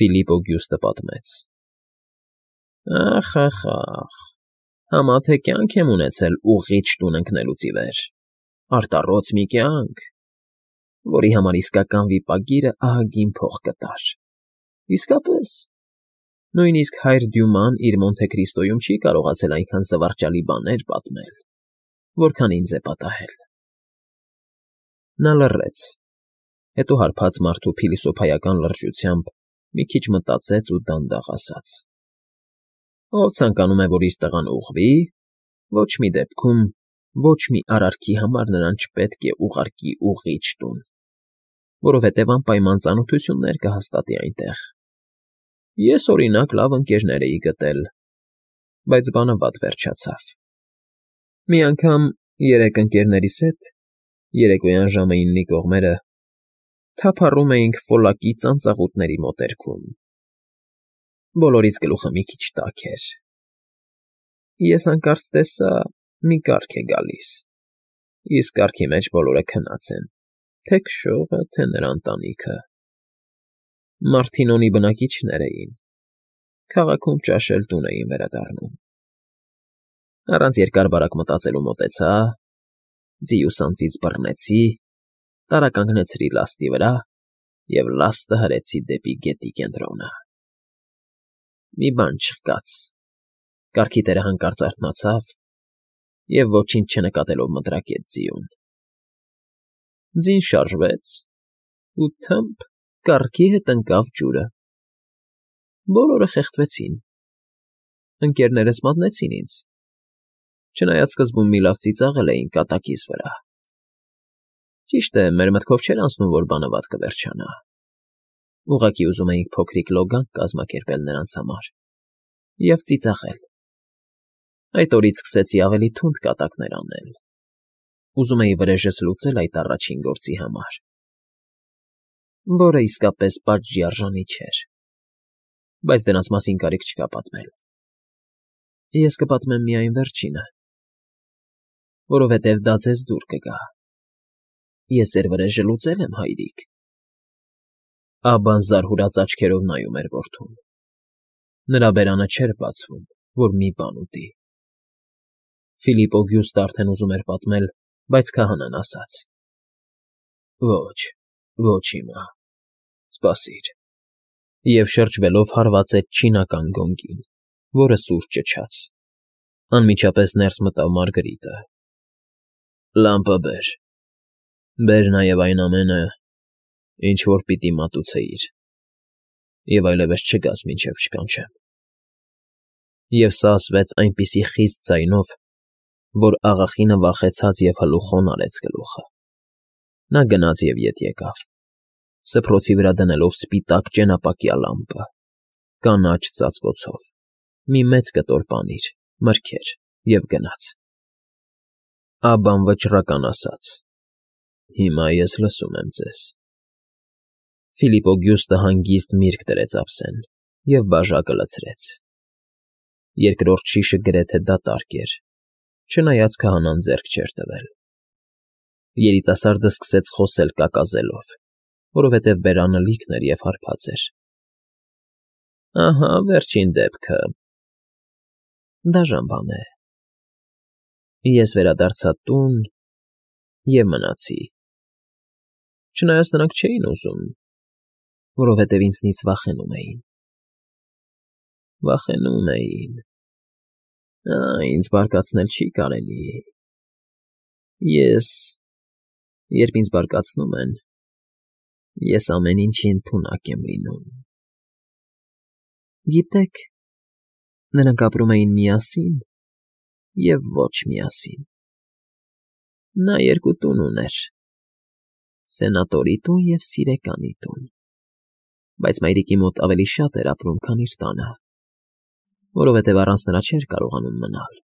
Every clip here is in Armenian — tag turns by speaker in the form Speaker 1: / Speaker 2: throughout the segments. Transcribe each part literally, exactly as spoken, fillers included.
Speaker 1: Ֆիլիպ Օգյուստը պատմեց. Ախ, ախ, ախ, համա թե կյանք եմ ունեցել ուղղիճ տուն ընկնելուց ի վեր, արտառոց մի կյանք, որի համար իսկական վիպագիրը ահագին փող կտար, իսկապես, նույնիսկ հայր Դյուման իր Մոնթե Քրիստոյում չի կարողացել այնքան զվարճալի բաներ պատմել, որքան ինձ է պատահել… Նա լռեց, հետո հարբած մարդու փիլիսոփայական լրջությամբ մի քիչ մտածեց ու դանդաղ ասաց. Ով ցանկանում է, որ իր տղան ուղղվի, ոչ մի դեպքում, ոչ մի արարքի համար նրան չպետք է ուղարկի ուղղիճ տուն, որովհետև անպայման ծանոթություններ կհաստատի այնտեղ… Ես, օրինակ, լավ ընկերներ էի գտել, բայց բանը վատ վերջացավ… Մի անգամ երեք ընկերներիս հետ, երեկոյան ժամը իննի կողմերը, թափառում էինք Ֆոլակի ծանծաղուտների մոտերքում… Բոլորիս գլուխը մի քիչ տաք էր… Ես հանկարծ տեսա, մի կառք է գալիս, իսկ կառքի մեջ բոլորը քնած են, թե՛ քշողը, թե՛ նրա ընտանիքը… Մարտինոնի բնակիչներ էին, քաղաքում ճաշել տուն էին վերադառնում… Առանց երկար֊բարակ մտածելու մոտեցա, ձիուս անձիծ բռնեցի, տարականգնեցրի լաստի վրա և լաստը հրեցի դեպի գետի կենտրոնը… Մի բան չխկաց, կառքի տերը հանկարծ արթնացավ և, ոչինչ չնկատելով, մտրակեց ձիուն… Ձին շարժվեց ու թմփ կառքի հետ ընկավ ջուրը… Բոլորը խեղդվեցին, ընկերներս մատնեցին ինձ, չնայած սկզբում մի լավ ծիծաղել էին կատակիս վրա… Ճիշտ է, մեր մտքով չէր անցնում, որ բանը վատ կվերջանա, ուղղակի ուզում էինք փոքրիկ լոգանք կազմակերպել նրանց համար և ծիծաղել… Այդ օրից սկսեցի ավելի թունդ կատակներ անել, ուզում էի վրեժս լուծել այդ առաջին գործի համար, որը իսկապես պատժի արժանի չէր, բայց դրանց մասին կարիք չկա պատմել… Ես կպատմեմ միայն վերջինը, որովհետև դա ձեզ դուր կգա… Ես ձեր վրեժը լուծել եմ, հայրիկ… Աբան զարհուրած աչքերով նայում էր որդուն… Նրա բերանը չէր բացվում, որ մի բան ուտի… Ֆիլիպ Օգյուստը արդեն ուզում էր պատմել, բայց քահանան ասաց. Ոչ, ոչ հիմա, սպասիր… Եվ շրջվելով հարվածեց չինական գոնգին, որը սուր ճչաց… Անմիջապես ներս մտավ Մարգրիտը. Լամպը բեր, բեր նաև այն ամենը, ինչ որ պիտի մատուցեիր, և այլևս չգաս, մինչև չկանչեմ… Եվ սա ասվեց այնպիսի խիստ ձայնով, որ աղախինը վախեցած և հլու խոն արեց գլուխը… Նա գնաց և ետ եկավ, սփռոցի վրա դնելով սպիտակ ճենապակյա լամպը, կանաչ ծածկոցով, մի մեծ կտոր պանիր, մրգեր և գնաց… Աբբան վճռական ասաց. Հիմա ես լսում եմ ձեզ… Ֆիլիպ Օգյուստը հանգիստ միրգ դրեց ափսեն և բաժակը լցրեց… Երկրորդ շիշը գրեթե դատարկ էր, չնայած քահանան ձեռք չէր տվել… Երիտասարդը սկսեց խոսել կակազելով, որովհետև բերանը լիքն էր և հարբած էր… Ահա վերջին դեպքը… Դաժան բան է… Ես վերադարձա տուն և մնացի… Չնայած նրանք չէին ուզում, որովհետև ինձնից վախենում էին… Վախենում էին… Ա՜, ինձ բարկացնել չի կարելի… Ես… Երբ ինձ բարկացնում են, ես ամեն ինչի ընդունակ եմ լինում… Գիտեք, նրանք ապրում էին միասին և ոչ միասին… Նա երկու տուն ուներ. սենատորի տուն և սիրեկանի տուն, բայց մայրիկի մոտ ավելի շատ էր ապրում, քան իր տանը, որովհետև առանց նրա չէր կարողանում մնալ…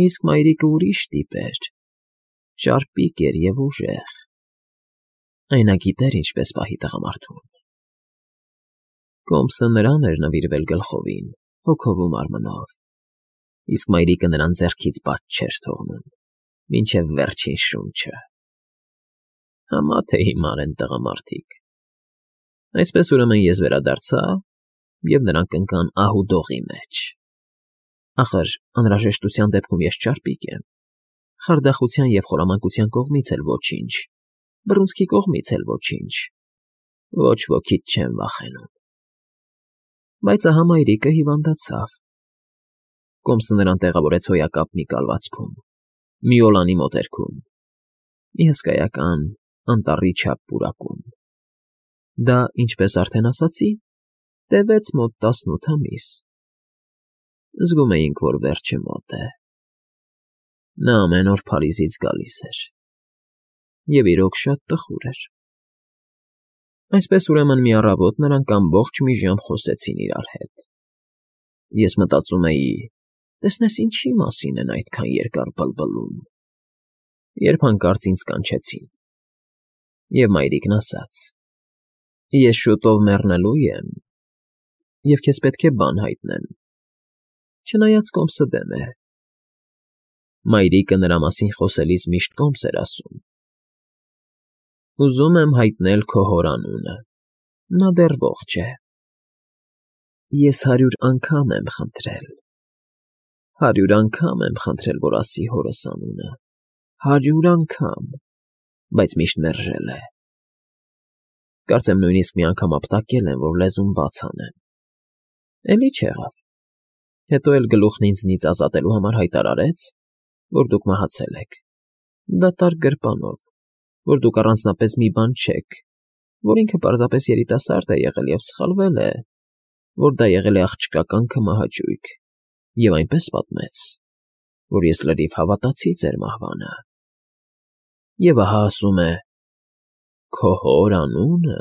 Speaker 1: Իսկ մայրիկը ուրիշ տիպ էր, ճարպիկ էր և ուժեղ… Այն նա գիտեր ինչպես պահի տղամարդուն… Կոմսը նրան էր նվիրվել գլխովին, հոգով ու մարմնով, իսկ մայրիկը նրան ձեռքից բաց չէր թողնում, մինչև վերջին շունչը… Համա թե հիմար են տղամարդիկ… Այսպես ուրեմն ես վերադարձա, և նրանք ընկան ահուդողի մեջ։ Ախր անհրաժեշտության դեպքում ես չարպիկ եմ, խարդախության և խորամանկության կողմից էլ ոչինչ, բռունցքի կողմից էլ ոչինչ, ոչ ոքից չեմ վախենում։ Բայց ահա մայրիկը հիվանդացավ։ Կոմսը նրան տեղավորեց հոյակապ մի կալվածքում, մի օլանի մոտերքում, մի հսկայական անտառի չափ պուրակում։ Դա, ինչպես արդեն ասացի, տևեց մոտ տասնութ ամիս։ Զգում էինք, որ վերջը մոտ է։ Նա ամեն օր Փարիզից գալիս էր, և իրոք շատ տխուր էր։ Այսպես ուրեմն մի առավոտ նրանք ամբողջ մի ժամ խոսեցին իրար հետ։ Ես մտածում էի. տեսնես ինչի մասին են այդքան երկար բլբլում, երբ հանկարծ ինձ կանչեցին, և մայրիկն ասաց. «Ես շուտով մեռնելու եմ, և քեզ պետք է բան հայտնեմ», չնայած Կոմսը դեմ է։ Մայրիկը նրա մասին խոսելիս միշտ Կոմս էր ասում. «Ուզում եմ հայտնել քո հոր անունը, նա դեռ ողջ է»։ Ես հարյուր անգամ եմ խնդրել, հարյուր անգամ եմ խնդրել, որ ասի հորս անունը, հարյուր անգամ, բայց միշտ մերժել է։ Կարծեմ նույնիսկ մի անգամ ապտակել եմ, որ լեզուն բաց անեմ։ Էլի չեղավ։ Հետո էլ գլուխն ինձնից ազատելու համար հայտարարեց, որ դուք մահացել եք, դատարկ գրպանով, որ դուք առանձնապես մի բան չեք, որ ինքը պարզապես երիտասարդ է եղել և սխալվել է, որ դա եղել է աղջկական քմահաճույք, և այնպես պատմեց, որ ես լրիվ հավատացի ձեր մահվանը։ Եվ ահա ասում է. «Քո հոր անունը»։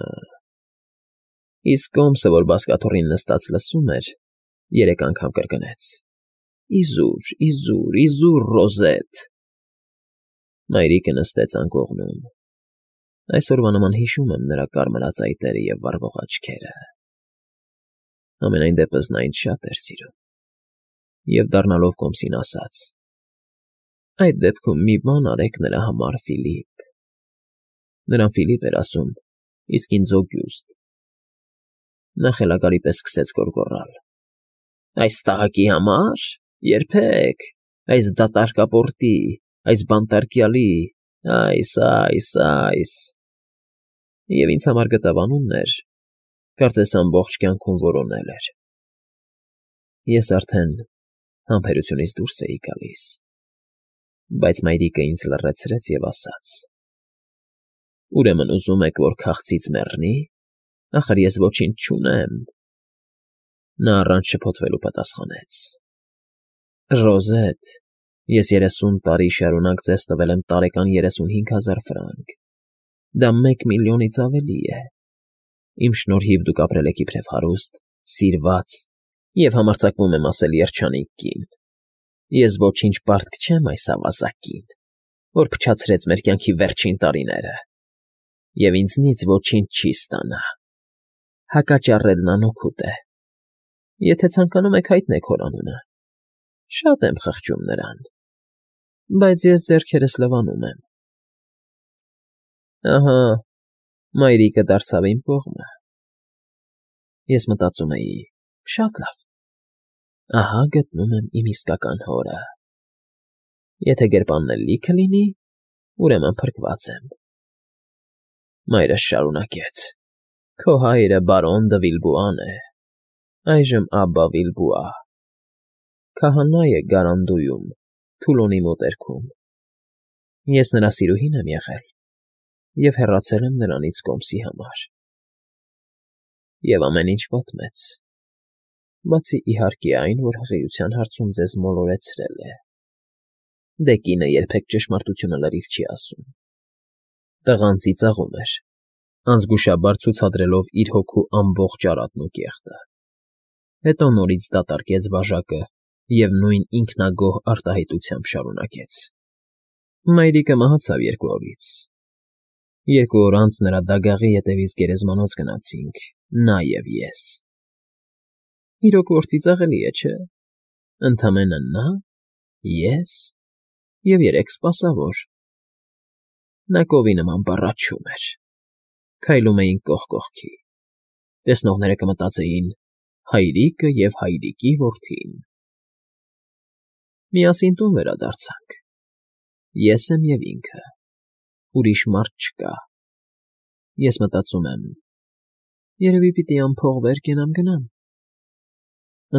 Speaker 1: Իսկ Կոմսը, որ բազկաթոռին նստած լսում էր, երեք անգամ կրկնեց. «Իզուր, իզուր, իզուր, Ռոզետ»։ Մայրիկը նստեց անկողնում։ Այսօրվա նման հիշում եմ նրա կարմրածայտերը և վառվող աչքերը։ Համենայն դեպս նա ինձ շատ էր սիրում։ Եվ դառնալով Կոմսին ասաց. «Այդ դեպքում մի բան արեք նրա համար, Ֆիլիպ»։ Նրան Ֆիլիպ էր ասում, իսկ ինձ՝ Օգյուստ։ Նա խելագարի պես սկսեց գոռգոռալ. «Այս տղակի համար… երբեք… այս դատարկապորտի… այս բանտարկյալի… այս… այս… այս…» Եվ ինձ համար գտավ անուններ, կարծես ամբողջ կյանքում որոնել էր։ Ես արդեն համբերությունից դուրս էի գալիս, բայց մայրիկը ինձ լռեցրեց և ասաց. «Ուրեմն ուզում եք, որ քաղցից մեռնի, ախր ես ոչինչ չունեմ»։ Նա առանց շփոթվելու պատասխանեց. «Ռոզետ, ես երեսուն տարի շարունակ ձեզ տվել եմ տարեկան երեսունհինգ հազար ֆրանկ, դա մեկ միլիոնից ավելի է։ Իմ շնորհիվ դուք ապրել եք իբրև հարուստ, սիրված և համարձակվում եմ ասել երջանիկ կին։ Ես ոչինչ պարտք չեմ այս ավազակին, որ փչացրեց մեր կյանքի վերջին տարիները, և ինձնից ոչինչ չի ստանա։ Հակաճառելն անօգուտ է։ Եթե ցանկանում եք, հայտնեք հոր անունը, շատ եմ խղճում նրան, բայց ես ձեռքերս լվանում եմ»։ Ահա մայրիկը դարձավ իմ կողմը։ Ես մտածում էի. շատ լավ, ահա գտնում եմ իմ իսկական հորը։ Եթե գրպանն էլ լիքը լինի, ուրեմն փրկված եմ։ Մայրս շարունակեց. «Քո հայրը բարոն դը Վիլբուան է, այժմ Աբբա Վիլբուա, քահանա է Գարանդուում, Թուլոնի մոտերքում։ Ես նրա սիրուհին եմ եղել և հեռացել եմ նրանից Կոմսի համար»։ Եվ ամեն ինչ պատմեց, բացի, իհարկե, այն, որ հղիության հարցում ձեզ մոլորեցրել է։ Դե կինը երբեք ճշմարտությունը լրիվ չի ասում։ Տղան ծիծաղում էր, անզգուշաբար ցուցադրելով իր հոգու ամբողջ արատն ու կեղտը։ Հետո նորից դատարկեց բաժակը և նույն ինքնագոհ արտահայտությամբ շարունակեց. «Մայրիկը մահացավ երկու օրից։ Երկու օր անց նրա դագաղի ետևից գերեզմանոց գնացինք, նա և ես։ Իրոք որ ծիծաղելի է, չէ՞։ Ընդամենը նա, ես և երեք սպասավոր։ Նա կովի նման բառաչում էր։ Քայլում էինք կողք կողքի։ Տեսնողները կմտածեին. հայրիկը և հայրիկի որդին։ Միասին տուն վերադարձանք, ես եմ և ինքը, ուրիշ մարդ չկա։ Ես մտածում եմ. երևի պիտի անփող վեր կենամ գնամ։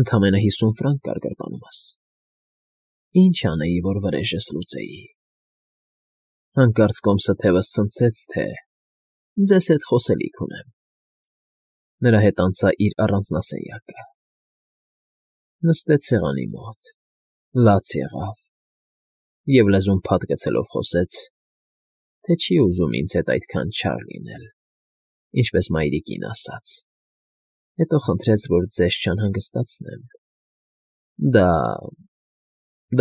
Speaker 1: Ընդամենը հիսուն ֆրանկ կար գրպանումս։ Ինչ անեի, որ վրեժս լուծեի։ Հանկարծ կոմսը թևս ցնցեց, թե ձեզ հետ խոսելիք ունեմ։ Նրա հետ անցա իր առանձնասենյակը։ Նստեց սեղանի մոտ, լաց եղավ և լեզուն փաթ գցելով խոսեց, թե չի ուզում ինձ հետ այդքան չար լինել, ինչպես մայրիկին ասաց, հետո խնդրեց, որ ձեզ չանհանգստացնեմ։ Դա…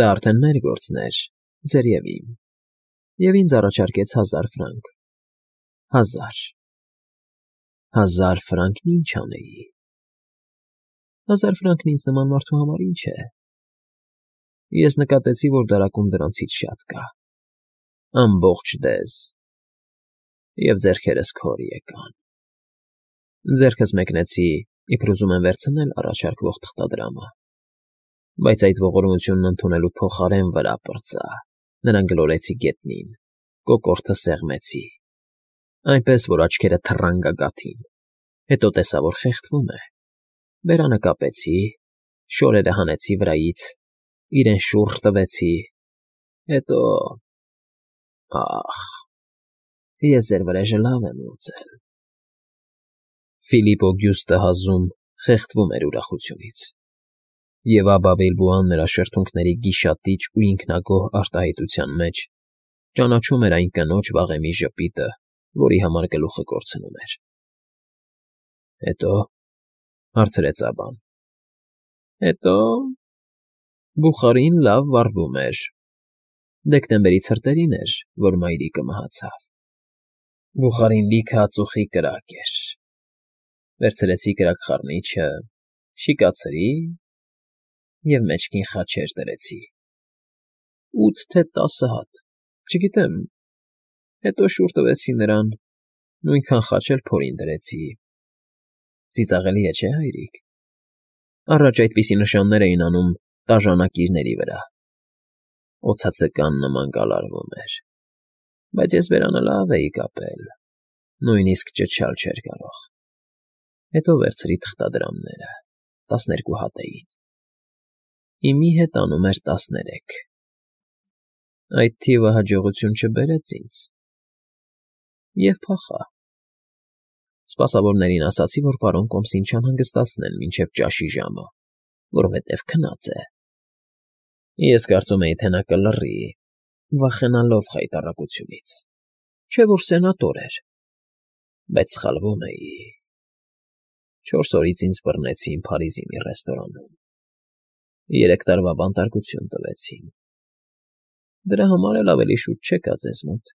Speaker 1: դա արդեն մեր գործն էր, ձեր և իմ, և ինձ առաջարկեց հազար ֆրանկ։ Հազար… հազար ֆրանկն ինչ անեի… Հազար ֆրանկն ինձ նման մարդու համար ինչ է… Ես նկատեցի, որ դարակում դրանցից շատ կա, ամբողջ դեզ, և ձեռքերս քոր եկան։ Ձեռքս մեկնեցի, իբր ուզում եմ վերցնել առաջարկվող թղթադրամը, բայց այդ ողորմությունն ընդունելու փոխարեն վրա պրծա, նրան գլորեցի գետնին, կոկորդը սեղմեցի, այնպես, որ աչքերը թռան գագաթին, հետո տեսա, որ խեղդվում է, բերանը կապեցի, շորերը հանեցի վրայից, իրեն շուռ տվեցի, հետո… ա՜խ, ես ձեր վրեժը լավ եմ լուծել… Ֆիլիպ Օգյուստը հազում, խեղդվում էր ուրախությունից, և Աբա Բիլբոն նրա շրթունքների գիշատիչ ու ինքնագոհ արտահայտության մեջ ճանաչում էր այն կնոջ վաղեմի ժպիտը, որի համար գլուխը կորցնում էր։ ֊ Հետո՞…֊ հարցրեց Աբբան։ ֊ Հետո… Բուխարին լավ վառվում էր, դեկտեմբերի ցրտերին էր, որ մայրիկը մահացավ, Բուխարին լիքը ածուխի կրակ էր, վերցրեցի կրակխառնիչը, շիկացրի և մեջքին խաչեր դրեցի, ութ թե տասը հատ, չգիտեմ, հետո շուռ տվեցի նրան, նույնքան խաչ էլ փորին դրեցի… Ծիծաղելի է, չէ՞, հայրիկ… Առաջ այդպիսի նշաններ էին անում տաժանակիրների վրա, օձացկան նման գալարվում էր, բայց ես բերանը լավ էի կապել, նույնիսկ ճչալ չէր կարող… Հետո վերցրի թղթադրամները, տասներկու հատ էին, հիմի հետ անում էր տասներեք… Այդ թիվը հաջողություն չբերեց ինձ, և փախա… Սպասավորներին ասացի, որ պարոն կոմսին չանհանգստացնեն մինչև ճաշի ժամը, որովհետև քնած է… Ես կարծում էի, թե նա կլռի, վախենալով խայտառակությունից, չէ՞ որ սենատոր էր… Բայց սխալվում էի… Չորս օրից ինձ բռնեցին Փարիզի մի ռեստորանում, երեք տարվա բանտարկություն տվեցին… Դրա համար էլ ավելի շուտ չեկա ձեզ մոտ։